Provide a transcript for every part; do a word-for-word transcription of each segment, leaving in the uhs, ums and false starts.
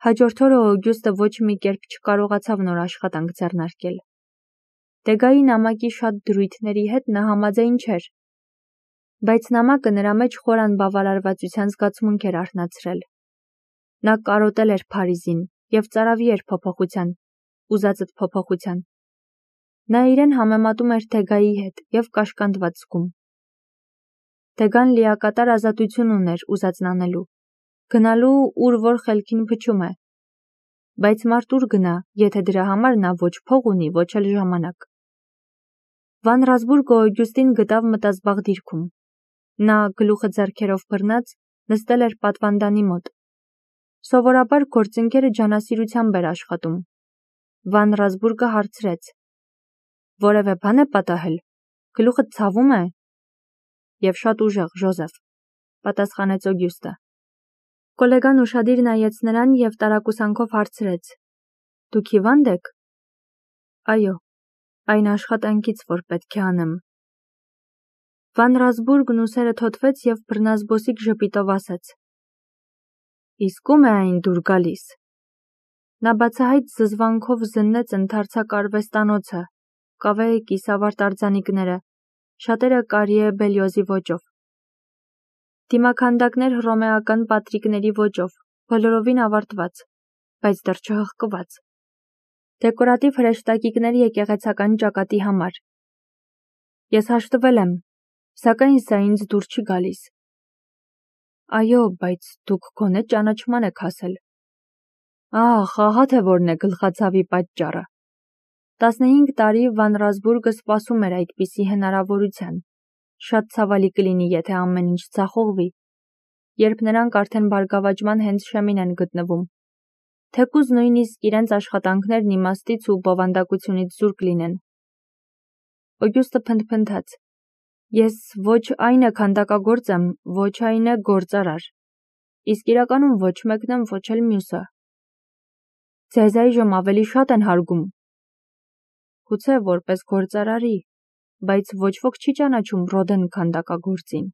Հաջորդ օրը Օգյուստը ոչ մի կերպ չկարողացավ նոր աշխատանք ձեռնարկել։ Դեգայի նամակի շատ դրույթների հետ նա համաձայն չէր, բայց նամակը նրա մեջ խոր անբավարարվածության զգացմունք էր արթնացրել։ Նա կարոտել էր Փարիզին և ծարավի էր փոփոխության, ուզածդ փոփոխության։ Նա իրեն համեմատում էր Դեգայի հետ և կաշկանդված զգում։ Դեգան լիակատար ազատություն ուներ ուզածն անելու, գնալու ուր որ խելքին փչում է, բայց մարդ ուր գնա, եթե դրա համար նա ոչ փող ունի, ոչ էլ ժամանակ։ Վան Ռասբուրգը Օգյուստին գտավ մտազբաղ դիրքում։ Նա, գլուխը ձեռքերով բռնած, նստել էր պատվանդանի մոտ։ Սովորաբար գործընկերը ջանասիրությամբ էր աշխատում։ Վան Ռասբուրգը հարցրեց. «Որևէ բան է պատահել, գլուխդ ցավում է»։ «Եվ շատ ուժեղ, Ժոզեֆ», պատասխանեց Օգյուստը։ Կոլեգան ուշադիր նայեց նրան և տարակուսանքով հարցրեց. «Դուք հիվա՞նդ եք»։ «Այո, այն աշխատանքից, որ պետք է անեմ»։ Վան Ռասբուրգն ուսերը թոթվեց և բռնազբոսիկ ժպիտով ասաց. «Իսկ ո՞ւմ է այն դուր գալիս»։ Նա բացահայտ զզվանքով զննեց ընդարձակ արվեստանոցը, կավե կիսավարտ արձանիկները, շատերը Կարիե Բելյոզի ոճով։ Դիմաքանդակներ հռոմեական պատրիկների ոճով, բոլորովին ավարտված, բայց դեռ չհղկված։ Դեկորատիվ հրեշտակիկներ եկեղեցական ճակատի համար։ Ես հաշտվել եմ, սակայն սա ինձ դուր չի գալիս։ Այո, բայց դուք գոնե ճանաչման եք հասել։ Ահ, ահա թե որն է գլխացավի պատճառը։ Տասնհինգ տարի Վան Ռասբուրգը սպասում էր այդպիսի հնարավորության։ Շատ ցավալի կլինի, եթե ամեն ինչ ձախողվի, երբ նրանք արդեն բարգավաճման հենց շեմին են գտնվում, թեկուզ նույնիսկ իրենց աշխատանքներն իմաստից ու բովանդակությունից զուրկ լինեն։ Օգյուստը փնթփնթաց. Ես ոչ այն է քանդակագործ եմ, ոչ այն է գործարար, իսկ իրականում ոչ մեկն եմ, ոչ էլ մյուսը։ Ձեզ այժմ ավելի շատ են հարգում։ Գուցե որպես գործարարի, բայց ոչ ոք չի ճանաչում Ռոդեն քանդակագործին։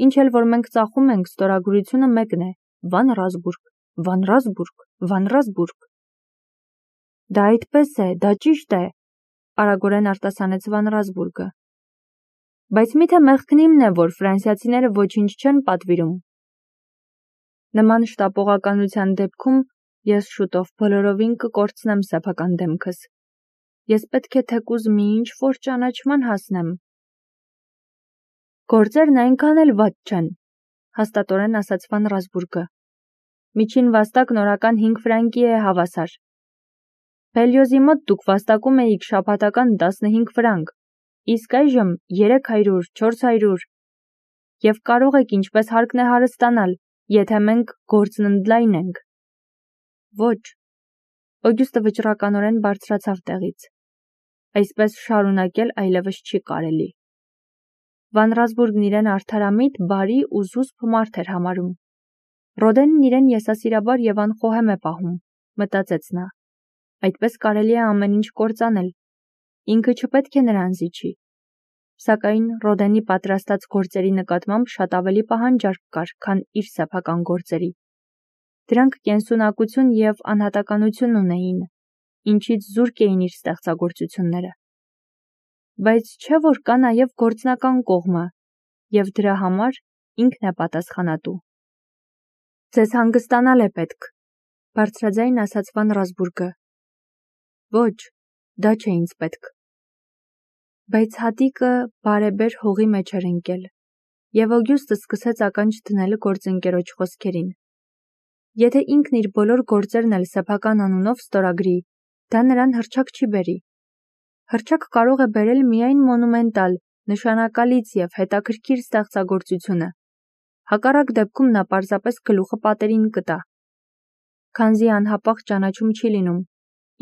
Ինչ էլ որ մենք ծախում ենք, ստորագրությունը մեկն է՝ Վան Ռասբուրգ, Վան Ռասբուրգ, Վան Ռասբուրգ։ Դա այդպես է, դա ճիշտ է, արագորեն արտասանեց Վան Ռասբուրգը։ Բայց միթե մեղքն իմն է, որ ֆրանսիացիները ոչինչ չեն պատվիրում։ Նման շտապողականության դեպքում ես շուտով բոլորովին կկորցնեմ սեփական դեմքս։ Ես պետք է թեկուզ մի ինչ-որ ճանաչման հասնեմ։ Գործերն այնքան էլ վատ չեն, հաստատորեն ասաց Վան Ռասբուրգը։ Միջին վաստակն օրական հինգ ֆրանկի է հավասար։ Բելյոզի մոտ դուք վաստակում էիք շաբաթական տասնհինգ ֆրանկ, իսկ այժմ երեք հարյուր, չորս հարյուր։ Եվ կարող եք ինչպես հարկն է հարստանալ, եթե մենք գործն ընդլայնենք։ Ոչ։ Օգյուստը վճռականորեն բարձրացավ տեղից։ Այսպես շարունակել այլևս չի կարելի։ Վան Ռասբուրգն իրեն արդարամիտ, բարի ու զուսպ մարդ էր համարում։ Ռոդենն իրեն եսասիրաբար և անխոհեմ է պահում, մտածեց նա։ Այդպես կարելի է ամեն ինչ կործանել։ Ինքը չպետք է նրան զիջի։ Սակայն Ռոդենի պատրաստած գործերի նկատմամբ շատ ավելի պահանջարկ կար, քան իր սեփական գործերի։ Դրանք կենսունակություն և անհատականություն ունեին, ինչից զուրկ էին իր ստեղծագործությունները։ Բայց չէ որ կա նաև գործնական կողմը, և դրա համար ինքն է պատասխանատու։ Ձեզ հանգստանալ է պետք, բարձրաձայն ասաց Վան Ռասբուրգը։ Ոչ, դա չէ ինձ պետք։ Բայց հատիկը բարեբեր հողի մեջ էր ընկել, և Օգյուստը սկսեց ականջ դնել գործընկերոջ խոսքերին։ Եթե ինքն իր բոլոր գործերն էլ սեփական անունով ստորագրի, դա նրան հռչակ չի բերի։ Հռչակ կարող է բերել միայն մոնումենտալ, նշանակալից և հետաքրքիր ստեղծագործությունը։ Հակառակ դեպքում նա պարզապես գլուխը պատերին կտա։ Քանզի անհապաղ ճանաչում չի լինում,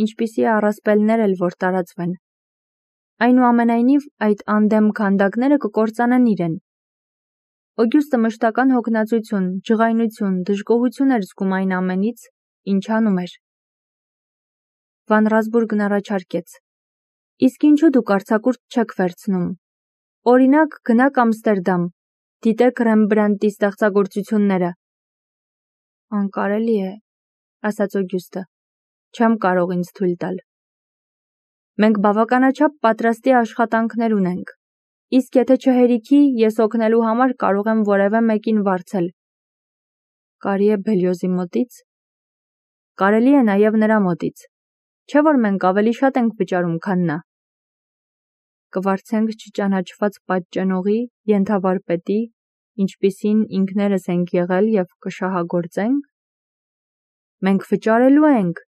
ինչպիսի առասպելներ էլ որ տարածվեն։ Այնուամենայնիվ այդ անդեմ քանդակները կկործանեն իրեն։ Օգյուստը մշտական հոգնածություն, ջղայնություն, դժգոհություն էր զգում այն ամենից, ինչ անում էր։ Վան Ռասբուրգն առաջարկեց. Իսկ ինչու դուք արձակուրդ չեք վերցնում։ Օրինակ, գնաք Ամստերդամ, դիտեք Ռեմբրանդտի ստեղծագործությունները։ Անկարելի է, ասաց Օգյուստը, չեմ կարող ինձ թույլ տալ։ Մենք բավականաչափ պատրաստի աշխատանքներ ունենք, իսկ եթե չհերիքի, ես օգնելու համար կարող եմ որևէ մեկին վարձել։ Կարի է Բելիոզի մոտից։ Կարելի է նաև նրա մոտից, չէ՞ որ մենք ավելի շատ ենք վճարում, քան նա։ Կվարձենք չճանաչված պատճենողի, ենթավարպետի, ինչպիսին ինքներս ենք եղել և կշահագործենք։ Մենք վճարելու ենք,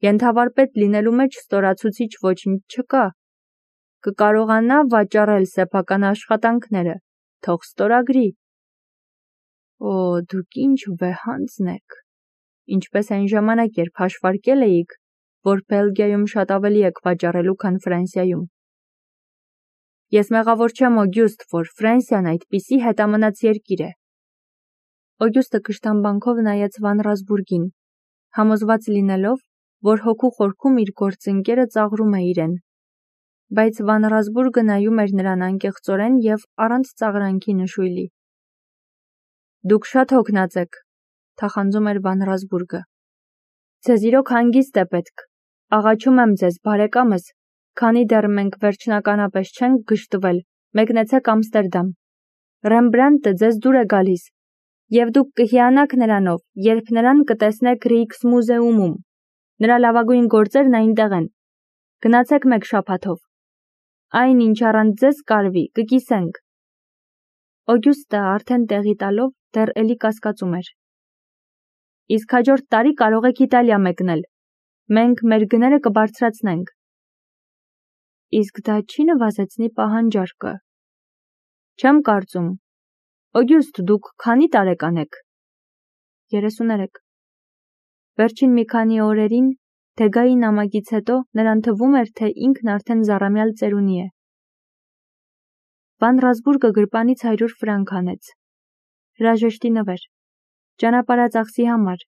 ենթավարպետ լինելու մեջ ստորացուցիչ ոչինչ չկա։ Կկարողանա վաճառել սեփական աշխատանքները, թող ստորագրի։ Օ, դուք ինչ վեհանձն եք, ինչպես այն ժամանակ, երբ հաշվարկել էիք, որ Բելգիայում շատ ավելի եք վաճառելու, քան Ֆրանսիայում։ Ես մեղավոր չեմ, Օգյուստ, որ Ֆրանսիան այդպիսի հետամնաց երկիր է։ Օգյուստը կշտամբանքով նայեց Վան Ռասբուրգին, համոզված լինելով, որ հոգու խորքում իր գործընկերը ծաղրում է իրեն։ Բայց Վան Ռասբուրգը նայում էր նրան անկեղծորեն և առանց ծաղրանքի նշույլի։ Դուք շատ հոգնած եք, թախանձում էր Վան Ռասբուրգը։ Ձեզ իրոք հանգիստ է պետք։ Աղաչում եմ ձեզ, բարեկամս, քանի դեռ մենք վերջնականապես չենք գժտվել, մեկնեցեք Ամստերդամ։ Ռեմբրանտը ձեզ դուր է գալիս, և դուք կհիանաք նրանով, երբ նրան կտեսնեք Ռիքսմուզեումում։ Նրա լավագույն գործերն այնտեղ են։ Գնացեք մեկ շաբաթով։ Այն, ինչ առանց ձեզ կարվի, կկիսենք։ Օգյուստը արդեն տեղի տալով դեռ էլի կասկածում էր։ Իսկ հաջորդ տարի կարող եք Իտալիա մեկնել։ Մենք մեր գները կբարձրացնենք։ Իսկ դա չի նվազեցնի պահանջարկը։ Չեմ կարծում։ Օգյուստ, դուք քանի տարեկան եք։ երեսուներեք։ Վերջին մի քանի օրերին, Թեգայի նամակից հետո նրան թվում էր, թե ինքն արդեն զառամյալ ծերունի է։ Վան Ռասբուրգը գրպանից հարյուր ֆրանկ հանեց։ Հրաժեշտի նվեր, ճանապարհածախսի համար,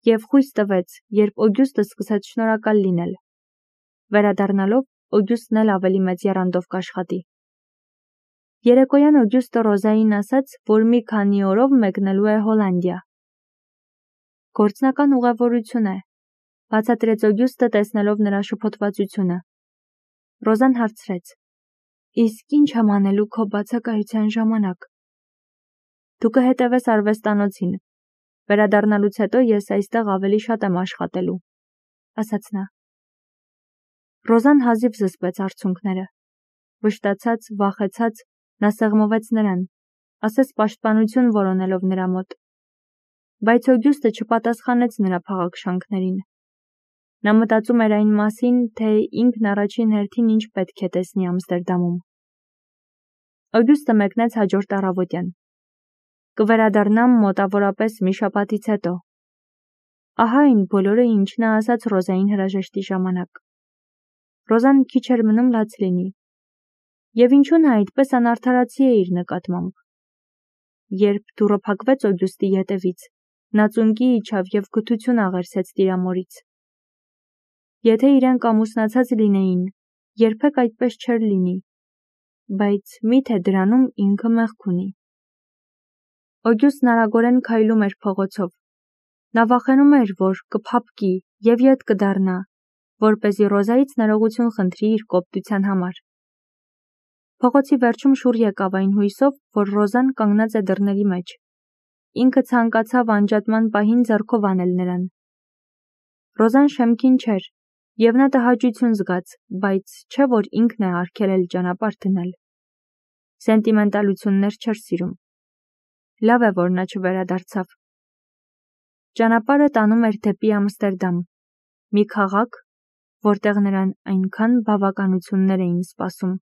և խույս տվեց, երբ Օգյուստը սկսեց շնորհակալ լինել։ Վերադառնալով, Օգյուստն էլ ավելի մեծ եռանդով կաշխատի։ Երեկոյան Օգյուստը Ռոզային ասաց, որ մի քանի օրով մեկնելու է Հոլանդիա։ Գործնական ուղևորություն է, բացատրեց Օգյուստը, տեսնելով նրա շփոթվածությունը։ Ռոզան հարցրեց. Իսկ ինչ եմ անելու քո բացակայության ժամանակ։ Դու կհետևես արվեստանոցին։ Վերադառնալուց հետո ես այստեղ ավելի շատ եմ աշխատելու, ասաց նա։ Ռոզան հազիվ զսպեց արցունքները։ Վշտացած, վախեցած, նա սեղմվեց նրան, ասես պաշտպանություն որոնելով նրա մոտ։ Բայց Օգյուստը չպատասխանեց նրա փաղաքշանքներին։ Նա մտածում էր այն մասին, թե ինքն առաջին հերթին ինչ պետք է տեսնի Ամստերդամում։ Օգյուստը մեկնեց հաջորդ առավոտյան։ Կվերադառնամ մոտավորապես մի շաբաթից հետո։ Ահա այն բոլորը, ինչ նա ասաց Ռոզային հրաժեշտի ժամանակ։ Ռոզան քիչ էր մնում լաց լինի։ Եվ ինչու նա այդպես անարդարացի է իր նկատմամբ։ Երբ դուռը փակվեց Օգյուստի ետևից, նա ծունկի իջավ և գթություն աղերսեց տիրամորից։ Եթե իրենք ամուսնացած լինեին, երբեք այդպես չէր լինի, բայց միթե դրանում ինքը մեղք ունի։ Օգյուստն արագորեն քայլում էր փողոցով։ Նա վախենում էր, որ կփափկի և ետ կդառնա, որպեսզի Ռոզայից ներողություն խնդրի իր կոպտության համար։ Փողոցի վերջում շուռ եկավ այն հույսով, որ Ռոզան կանգնած է դռների մեջ։ Ինքը ցանկացավ անջատման պահին ձեռքով անել նրան։ Ռոզան շեմքին չէր, և նա տհաճություն զգաց, բայց չէ որ ինքն է արգելել ճանապարհ դնել։ Սենտիմենտալություններ չէր սիրում։ Լավ է, որ նա չվերադարձավ։ Ճանապարհը տանում էր դեպի Ամստերդամ, մի քաղաք, որտեղ նրան այնքան բավականություններ էին սպասում։